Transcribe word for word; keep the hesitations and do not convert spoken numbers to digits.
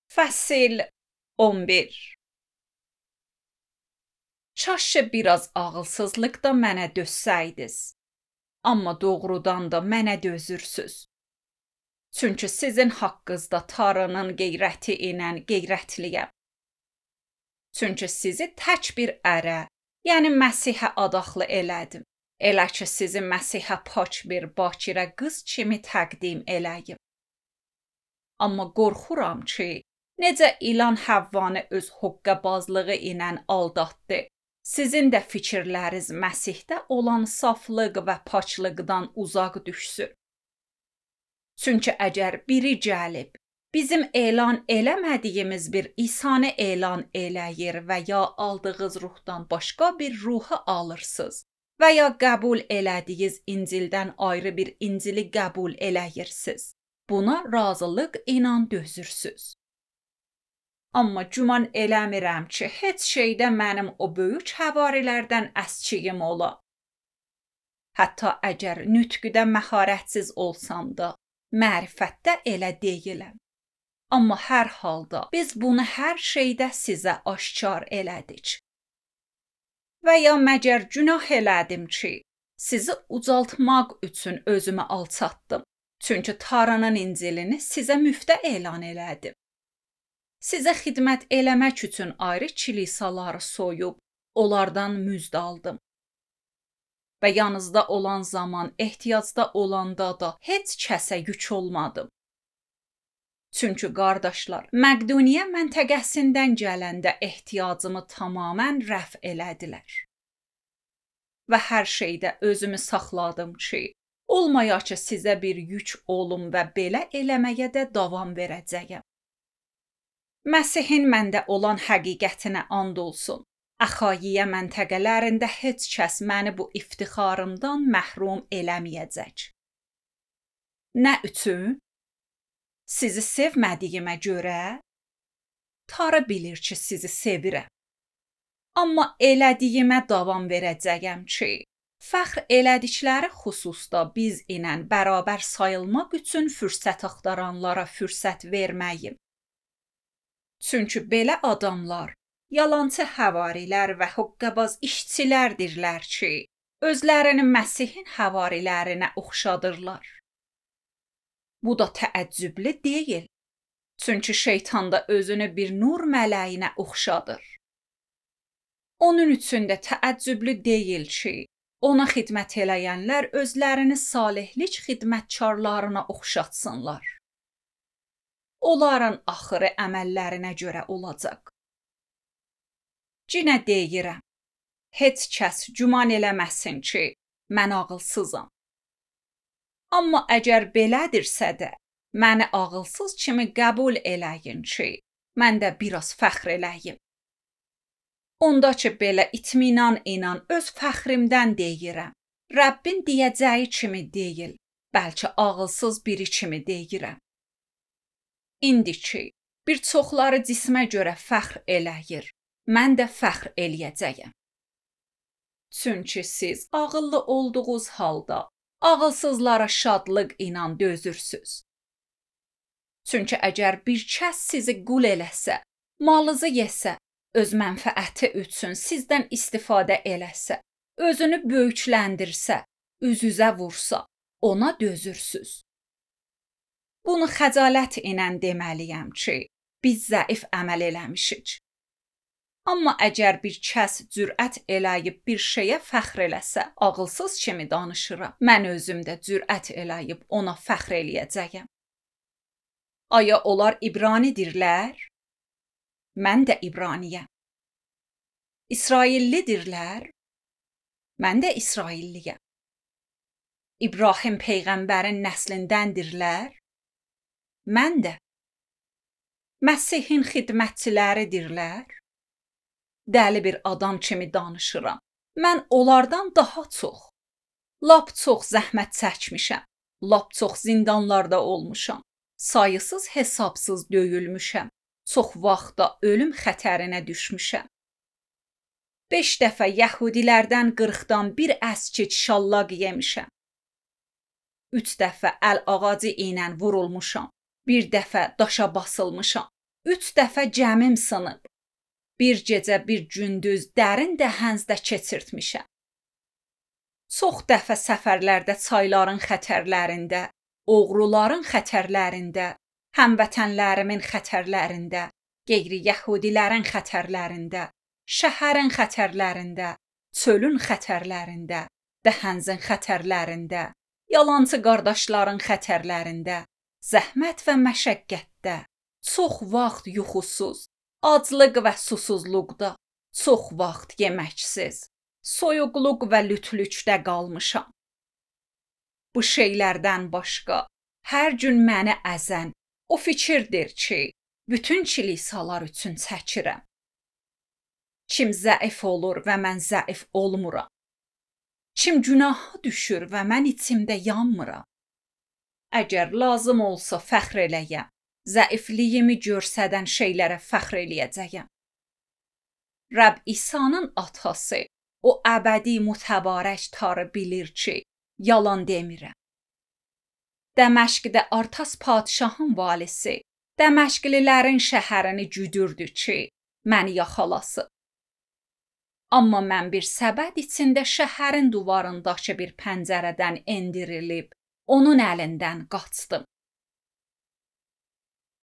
Fəsil on bir. Çaşşı biraz ağılsızlıq da mənə dözsəydiz. Amma doğrudan da mənə dözürsüz. Çünki sizin haqqınızda Tanrının qeyrəti ilə qeyrətliyəm. Çünki sizi tək bir ərə, yəni Məsihə adaxlı elədim. Elə ki sizi Məsihə pak bir bakirə qız kimi təqdim eləyim. Amma qorxuram ki, necə ilan Həvvanı öz hoqqabazlığı ilə aldatdı, sizin də fikirləriniz Məsihdə olan saflıq və paçlıqdan uzaq düşsün. Çünki əgər biri gəlib, bizim elan eləmədiyimiz bir İsanı elan eləyir və ya aldığınız ruhdan başqa bir ruhu alırsınız və ya qəbul elədiyiniz İncildən ayrı bir İncili qəbul eləyirsiniz, buna razılıq ilə dözürsüz. Amma güman eləmirəm ki, heç şeydə mənim o böyük həvarilərdən əskiyim ola. Hətta əgər nütqüdə məharətsiz olsam da, mərifətdə elə deyiləm. Amma hər halda biz bunu hər şeydə sizə aşkar elədik. Və ya məgər günah elədim ki, sizi ucaltmaq üçün özümü alçatdım. Çünki Tanrının İncilini sizə müftə elan elədim. Sizə xidmət eləmək üçün ayrı kilisaları soyub, onlardan müjd aldım. Və yanınızda olan zaman, ehtiyacda olanda da heç kəsə yük olmadım. Çünki qardaşlar, Məqduniya məntəqəsindən gələndə ehtiyacımı tamamən rəf elədilər. Və hər şeydə özümü saxladım ki, olmaya ki sizə bir yük olum və belə eləməyə də davam verəcəyəm. Məsihin məndə olan həqiqətinə and olsun. Əxayiyə məntəqələrində heç kəs məni bu iftixarımdan məhrum eləməyəcək. Nə üçün? Sizi sevmədiyimə görə? Tanrı bilir ki, sizi sevirəm. Amma elədiyimə davam verəcəyəm ki, fəxr elədikləri xüsusda biz ilə bərabər sayılmaq üçün fürsət axtaranlara fürsət verməyim. Çünki belə adamlar yalançı həvarilər və hoqqabaz işçilərdirlər ki, özlərini Məsihin həvarilərinə oxşadırlar. Bu da təəccüblü deyil. Çünki şeytan da özünü bir nur mələyinə oxşadır. Onun üçün də təəccüblü deyil ki, ona xidmət eləyənlər özlərini salihlik xidmətkarlarına oxşatsınlar. Onların axırı əməllərinə görə olacaq. Cinə deyirəm, heç kəs güman eləməsin ki, mən ağılsızam. Amma əgər belədirsə də, məni ağılsız kimi qəbul eləyin ki, mən də biraz fəxr eləyim. Onda ki, belə itminan inan öz fəxrimdən deyirəm, Rəbbin deyəcəyi kimi deyil, bəlkə ağılsız biri kimi deyirəm. İndi ki, bir çoxları cismə görə fəxr eləyir, mən də fəxr eləyəcəyəm. Çünki siz ağıllı olduğunuz halda ağılsızlara şadlıq ilə dözürsüz. Çünki əgər bir kəs sizi qul eləsə, malınızı yesə, öz mənfəəti üçün sizdən istifadə eləsə, özünü böyükləndirsə, üz-üzə vursa, ona dözürsüz. Bunu xəcalət ilə deməliyəm ki, biz zəif əməl eləmişik. Amma əgər bir kəs cürət eləyib bir şeyə fəxr eləsə, ağılsız kimi danışıram, mən özüm də cürət eləyib ona fəxr eləyəcəyəm. Aya onlar İbranidirlər? Mən də İbraniyəm. İsraillidirlər? Mən də İsrailliyəm. İbrahim peyğəmbərin nəslindəndirlər? Mən də. Məsihin xidmətçiləridirlər? Dəli bir adam kimi danışıram. Mən onlardan daha çox. Lap çox zəhmət çəkmişəm. Lap çox zindanlarda olmuşam. Sayısız hesabsız döyülmüşəm. Çox vaxtda ölüm xətərinə düşmüşəm. Beş dəfə yəhudilərdən qırxdan bir əskik şallaq yemişəm. Üç dəfə əl ağacı ilə vurulmuşam. Bir dəfə daşa basılmışam. Üç dəfə cəmim sınıb. Bir gecə bir gündüz dərin dəhəzdə keçirtmişəm. Çox dəfə səfərlərdə çayların xətərlərində, oğruların xətərlərində, həmvətənlərimin xətərlərində, qeyri-yəhudilərin xətərlərində, şəhərin xətərlərində, çölün xətərlərində, dəhənzin xətərlərində, yalançı qardaşların xətərlərində, zəhmət və məşəqqətdə, çox vaxt yuxusuz, aclıq və susuzluqda, çox vaxt yeməksiz, soyuqluq və lütlükdə qalmışam. Bu şeylərdən başqa hər gün məni əzən o fikirdir ki, bütün kilisalar üçün çəkirəm. Kim zəif olur və mən zəif olmuram. Kim günaha düşür və mən içimdə yanmıram. Əgər lazım olsa fəxr eləyəm, zəifliyimi görsədən şeylərə fəxr eləyəcəyəm. Rəbb İsa'nın atası, o əbədi mütəbarək tarı bilir ki, yalan demirəm. Dəməşqdə Artas padşahın valisi, Dəməşqlilərin şəhərini güdürdü ki, məni yaxalasın. Amma mən bir səbət içində şəhərin divarındakı bir pəncərədən endirilib, onun əlindən qaçdım.